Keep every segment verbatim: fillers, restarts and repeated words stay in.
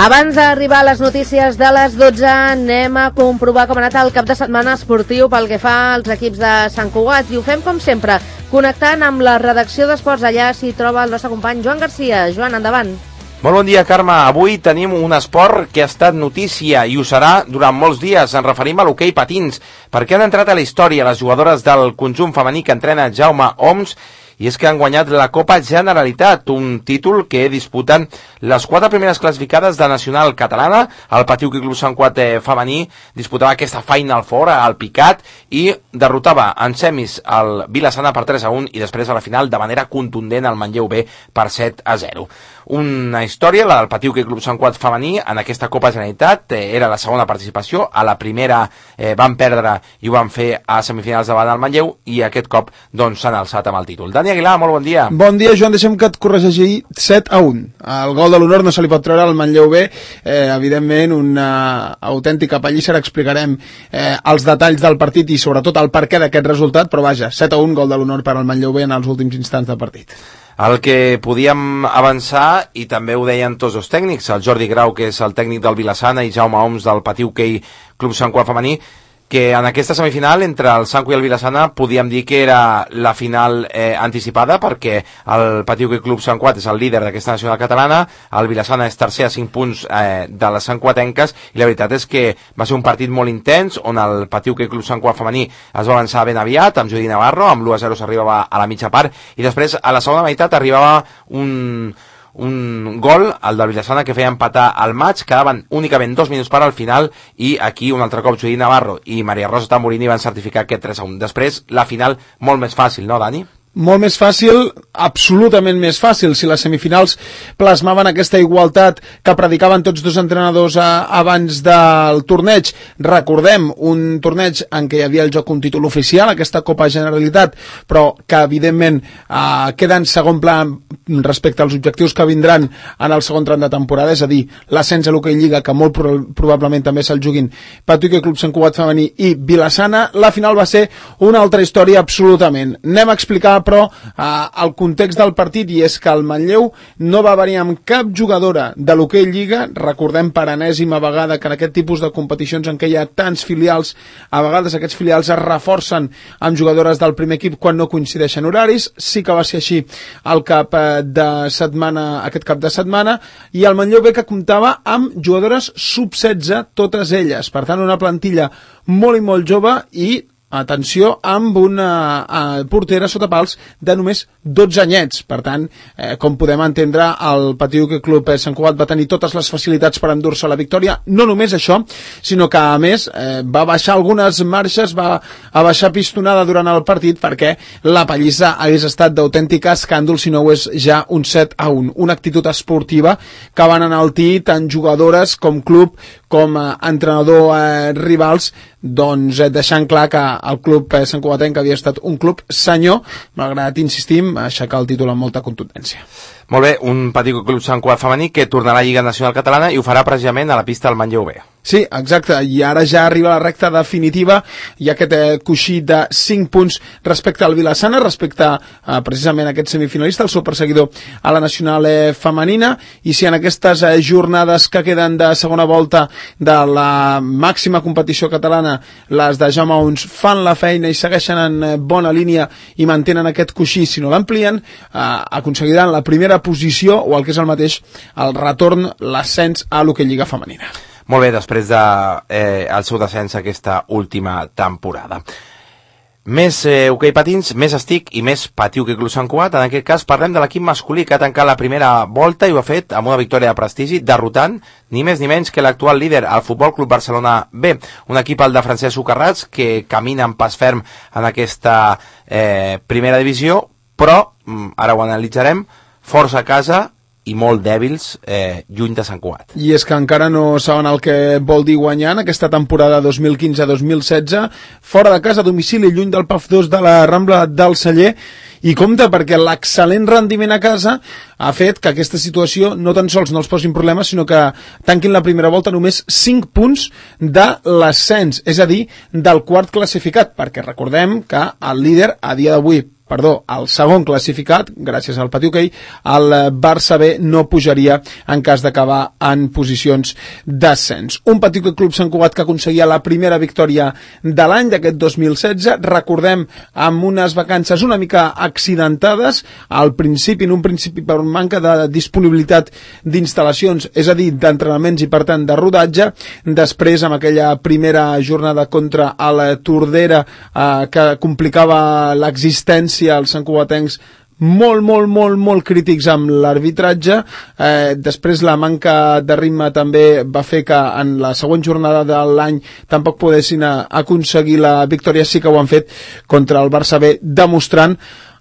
Abans d'arribar a les notícies de les dotze, anem a comprovar com ha anat el cap de setmana esportiu pel que fa als equips de Sant Cugat. I ho fem, com sempre, connectant amb la redacció d'Esports. Allà s'hi troba el nostre company Joan Garcia. Joan, endavant. Molt bon dia, Carme. Avui tenim un esport que ha estat notícia i ho serà durant molts dies. Ens referim a l'hoquei patins, perquè han entrat a la història les jugadores del conjunt femení que entrena Jaume Oms, i és que han guanyat la Copa Generalitat, un títol que disputen les quatre primeres classificades de Nacional Catalana. El Patiu Club Sant Cugat femení disputava aquesta Final Four al Picat i derrotava en semis el Vila-sana per tres a un i després a la final de manera contundent el Manlleu B per set a zero. Una història, la del Patiu Club Sant Cugat femení en aquesta Copa Generalitat, eh, era la segona participació. A la primera eh, van perdre i ho van fer a semifinals davant del Manlleu i aquest cop doncs s'han alçat amb el títol. Dani Aguilar, molt bon dia. Bon dia, Joan, deixem que et corregeixi. set a un. El gol de l'honor no se li pot treure al Manlleu B, eh, evidentment una autèntica pallissa. Explicarem eh, els detalls del partit i sobretot el perquè d'aquest resultat, però vaja, set a un, gol de l'honor per al Manlleu B en els últims instants del partit. El que podíem avançar, i també ho deien tots els tècnics, el Jordi Grau, que és el tècnic del Vila-sana, i Jaume Oms del Patiu Club Sant Cugat femení, que en aquesta semifinal entre el Sanco i el Vila-sana podíem dir que era la final eh, anticipada, perquè el Patiu Club Sant Cugat és el líder d'aquesta nacional catalana, el Vila-sana és tercer a cinc punts eh, de les santcuatenques, i la veritat és que va ser un partit molt intens, on el Patiu Club Sant Cugat femení es va avançar ben aviat, amb Judí Navarro, amb l'u a zero s'arribava a la mitja part, i després a la segona meitat arribava un... un gol, el del Vila-sana, que feia empatar el maig. Quedaven únicament dos minuts per al final i aquí un altre cop Judí Navarro i Maria Rosa Tamburini van certificar aquest tres a un. Després la final molt més fàcil, no, Dani? Molt més fàcil, absolutament més fàcil. Si les semifinals plasmaven aquesta igualtat que predicaven tots dos entrenadors a, abans del torneig, recordem un torneig en què hi havia el joc un títol oficial, aquesta Copa Generalitat, però que evidentment eh, queda en segon pla respecte als objectius que vindran en el segon tram de temporada, és a dir, l'ascens a l'hoquei Lliga, que molt pro probablement també se'l juguin Patiu Club Sant Cugat femení i Vila-sana. La final va ser una altra història absolutament. Anem a explicar però eh, el context del partit, i és que el Manlleu no va venir amb cap jugadora de l'hoquei Lliga. Recordem per enèsima vegada que en aquest tipus de competicions en què hi ha tants filials, a vegades aquests filials es reforcen amb jugadores del primer equip quan no coincideixen horaris. Sí que va ser així el cap de setmana, aquest cap de setmana, i el Manlleu B, que comptava amb jugadores sub setze, totes elles, per tant una plantilla molt i molt jove, i atenció, amb una uh, portera sota pals de només dotze anyets. Per tant, eh, com podem entendre, el Patiu Club Sant Cugat va tenir totes les facilitats per endur-se la victòria. No només això, sinó que a més eh, va baixar algunes marxes, va a baixar pistonada durant el partit, perquè la pallissa hagués estat d'autèntic escàndol si no ho és ja un set a un. Una actitud esportiva que van enaltir tant jugadores com club com eh, entrenador eh, rivals, doncs eh, deixant clar que el club eh, Sant Cugatenc havia estat un club senyor, malgrat, insistim, aixecar el títol amb molta contundència. Molt bé, un Patiu Club Sant Cugat femení que tornarà a la Lliga Nacional Catalana i ho farà precisament a la pista del Manlleu B. Sí, exacte, i ara ja arriba la recta definitiva. Hi ha aquest eh, coixí de cinc punts respecte al Vila-sana, respecte eh, precisament a aquest semifinalista, el seu perseguidor a la nacional eh, femenina, i si en aquestes eh, jornades que queden de segona volta de la màxima competició catalana, les de Jaume Oms fan la feina i segueixen en eh, bona línia i mantenen aquest coixí, si no l'amplien, eh, aconseguiran la primera posició, o el que és el mateix, el retorn, l'ascens a l'hoquei Lliga femenina. Molt bé, després de eh, el seu descens aquesta última temporada. Més eh, hoquei patins, més estic i més Patiu Club Sant Cugat. En aquest cas parlem de l'equip masculí, que ha tancat la primera volta i ho ha fet amb una victòria de prestigi, derrotant ni més ni menys que l'actual líder, el Futbol Club Barcelona B. Un equip, el de Francesc Socarrats, que camina amb pas ferm en aquesta eh, primera divisió, però, ara ho analitzarem, força a casa i molt dèbils eh, lluny de Sant Cugat. I és que encara no saben el que vol dir guanyar en aquesta temporada dos mil quinze dos mil setze, fora de casa, a domicili, lluny del P A F dos de la Rambla del Celler, i compte, perquè l'excel·lent rendiment a casa ha fet que aquesta situació no tan sols no els posin problemes, sinó que tanquin la primera volta només cinc punts de l'ascens, és a dir, del quart classificat, perquè recordem que el líder a dia d'avui perdó, el segon classificat, gràcies al pati hoquei, el Barça B no pujaria en cas d'acabar en posicions d'ascens. Un pati hoquei Club Sant Cugat que aconseguia la primera victòria de l'any d'aquest dos mil setze, recordem, amb unes vacances una mica accidentades, al principi, en un principi per manca de disponibilitat d'instal·lacions, és a dir, d'entrenaments i per tant de rodatge, després amb aquella primera jornada contra el Tordera eh, que complicava l'existència als santcugatencs molt, molt, molt, molt crítics amb l'arbitratge. Eh, després la manca de ritme també va fer que en la següent jornada de l'any tampoc poguessin aconseguir la victòria. Sí que ho han fet contra el Barça B, demostrant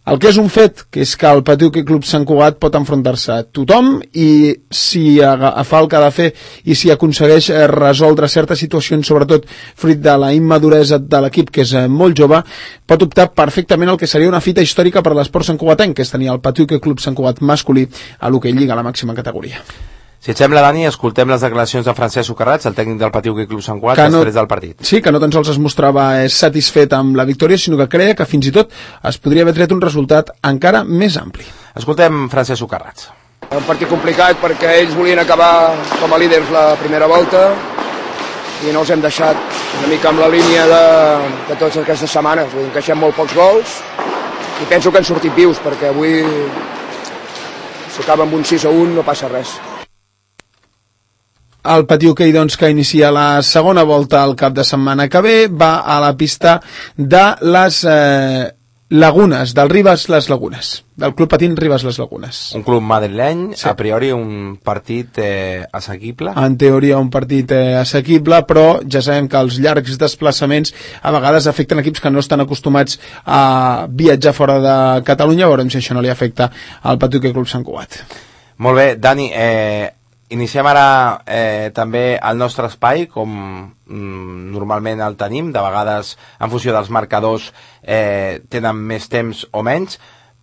el que és un fet, que és que el Pati Hoquei Club Sant Cugat pot enfrontar-se a tothom i si fa el que ha de fer i si aconsegueix resoldre certes situacions, sobretot fruit de la immaduresa de l'equip, que és molt jove, pot optar perfectament el que seria una fita històrica per l'esport santcugatenc, que és tenir el Pati Hoquei Club Sant Cugat masculí a l'Hoquei Lliga, a la màxima categoria. Si et sembla, Dani, escoltem les declaracions de Francesc Socarrats, el tècnic del Pati Hoquei Club Sant Cugat, no, després del partit. Sí, que no tan sols es mostrava satisfet amb la victòria, sinó que creia que fins i tot es podria haver tret un resultat encara més ampli. Escoltem Francesc Socarrats. Un partit complicat perquè ells volien acabar com a líders la primera volta i no els hem deixat una mica amb la línia de, de totes aquestes setmanes. Vull dir, encaixem molt pocs gols i penso que han sortit vius, perquè avui si acaba amb un sis a un no passa res. El Pati Hoquei, doncs, que inicia la segona volta al cap de setmana que ve, va a la pista de les eh, Lagunes, del Ribes Les Lagunes, del Club Patín Ribes Les Lagunes. Un club madrileny, sí. A priori un partit eh, assequible. En teoria un partit eh, assequible, però ja sabem que els llargs desplaçaments a vegades afecten equips que no estan acostumats a viatjar fora de Catalunya. Veurem si això no li afecta al Pati Hoquei Club Sant Cugat. Molt bé, Dani, eh... iniciem ara eh, també el nostre espai, com mm, normalment el tenim, de vegades en funció dels marcadors eh, tenen més temps o menys,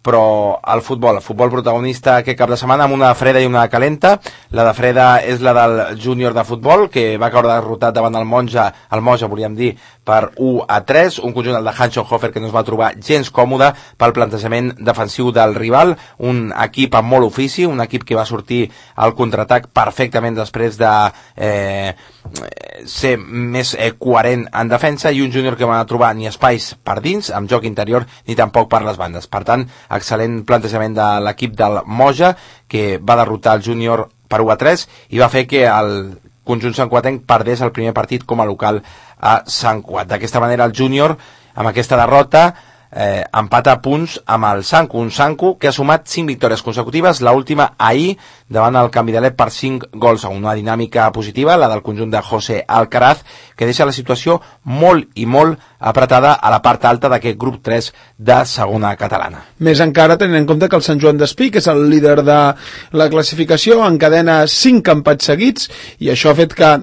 però el futbol, el futbol protagonista aquest cap de setmana amb una de freda i una de calenta. La de freda és la del júnior de futbol, que va caure derrotat davant el Monja, el Moja, volíem dir, per u a tres, un conjunt el de Hanschenhofer que no es va trobar gens còmode pel plantejament defensiu del rival, un equip amb molt ofici, un equip que va sortir al contraatac perfectament després de eh, ser més eh, coherent en defensa, i un júnior que va trobar ni espais per dins, amb joc interior, ni tampoc per les bandes. Per tant, excel·lent plantejament de l'equip del Moja, que va derrotar el júnior per u a tres i va fer que el conjunt santcugatenc perdés el primer partit com a local a Sant Cugat. D'aquesta manera el júnior, amb aquesta derrota, eh, empata a punts amb el Sancu, un Sancu que ha sumat cinc victòries consecutives, la última ahir davant el Canvidalet per cinc gols a una dinàmica positiva, la del conjunt de José Alcaraz, que deixa la situació molt i molt apretada a la part alta d'aquest grup tres de segona catalana. Més encara tenint en compte que el Sant Joan d'Espí, que és el líder de la classificació, encadena cinc empats seguits, i això ha fet que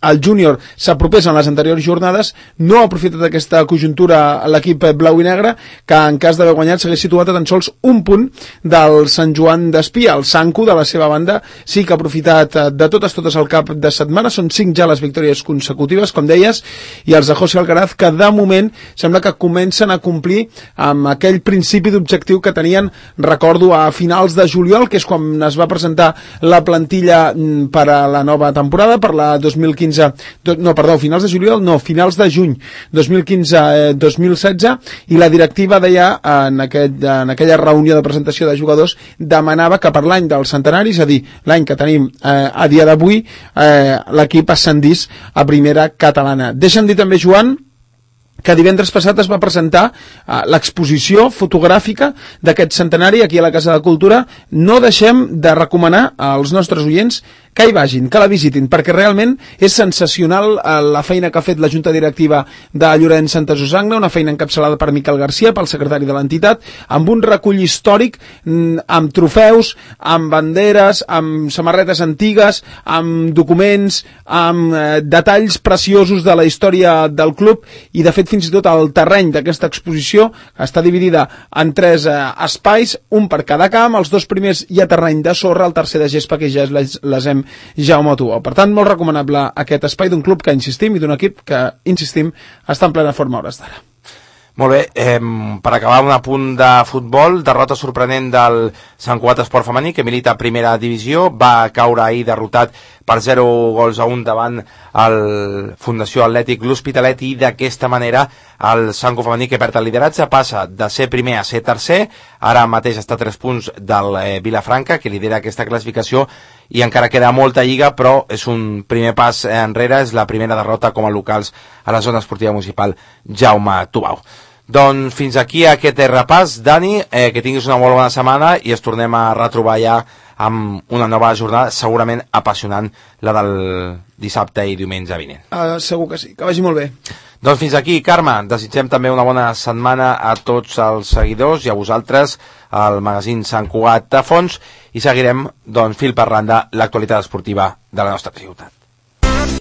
el júnior s'apropés en les anteriors jornades, no ha aprofitat aquesta conjuntura l'equip blau i negre, que en cas d'haver guanyat s'hagués situat a tan sols un punt del Sant Joan d'Espí. El Sancu, de la seva banda, sí que ha aprofitat de totes totes al cap de setmana, són cinc ja les victòries consecutives, com deies, i els de José Alcaraz, que de moment sembla que comencen a complir amb aquell principi d'objectiu que tenien, recordo, a finals de juliol, que és quan es va presentar la plantilla per a la nova temporada, per la dos mil quinze, no, perdó, finals de juliol, no, finals de juny dos mil quinze dos mil setze, i la directiva deia en, aquest, en aquella reunió de presentació de jugadors, demanava que per l'any del centenari, és a dir, l'any que tenim eh, a dia d'avui, eh, l'equip ascendís a primera catalana. Deixa'm dir també, Joan, que divendres passat es va presentar uh, l'exposició fotogràfica d'aquest centenari aquí a la Casa de Cultura. No deixem de recomanar als nostres oients que hi vagin, que la visitin, perquè realment és sensacional uh, la feina que ha fet la Junta Directiva de Llorenç Santa Susanna, una feina encapçalada per Miquel Garcia, pel secretari de l'entitat, amb un recull històric, mm, amb trofeus, amb banderes, amb samarretes antigues, amb documents, amb uh, detalls preciosos de la història del club, i de fet fins i tot el terreny d'aquesta exposició està dividida en tres eh, espais, un per cada camp, els dos primers hi ha terreny de sorra, el tercer de gespa, que ja és les, les hem Jaume Tuó. Per tant, molt recomanable aquest espai d'un club que insistim, i d'un equip que, insistim, està en plena forma a hores d'ara. Molt bé, eh, per acabar un apunt de futbol, derrota sorprenent del Sant Cugat Esport Femení, que milita a primera divisió, va caure ahir derrotat per zero gols a un davant el Fundació Atlètic L'Hospitalet, i d'aquesta manera el Sant Cugat Femení, que perd el lideratge, passa de ser primer a ser tercer, ara mateix està a tres punts del eh, Vilafranca, que lidera aquesta classificació, i encara queda molta lliga, però és un primer pas enrere, és la primera derrota com a locals a la zona esportiva municipal Jaume Tubau. Doncs fins aquí aquest repàs, Dani, eh, que tinguis una molt bona setmana i es tornem a retrobar ja amb una nova jornada segurament apassionant, la del dissabte i diumenge vinent. Uh, segur que sí, que vagi molt bé. Doncs fins aquí, Carme, desitgem també una bona setmana a tots els seguidors i a vosaltres, al magazín Sant Cugat a Fons, i seguirem doncs, fil per randa l'actualitat esportiva de la nostra ciutat.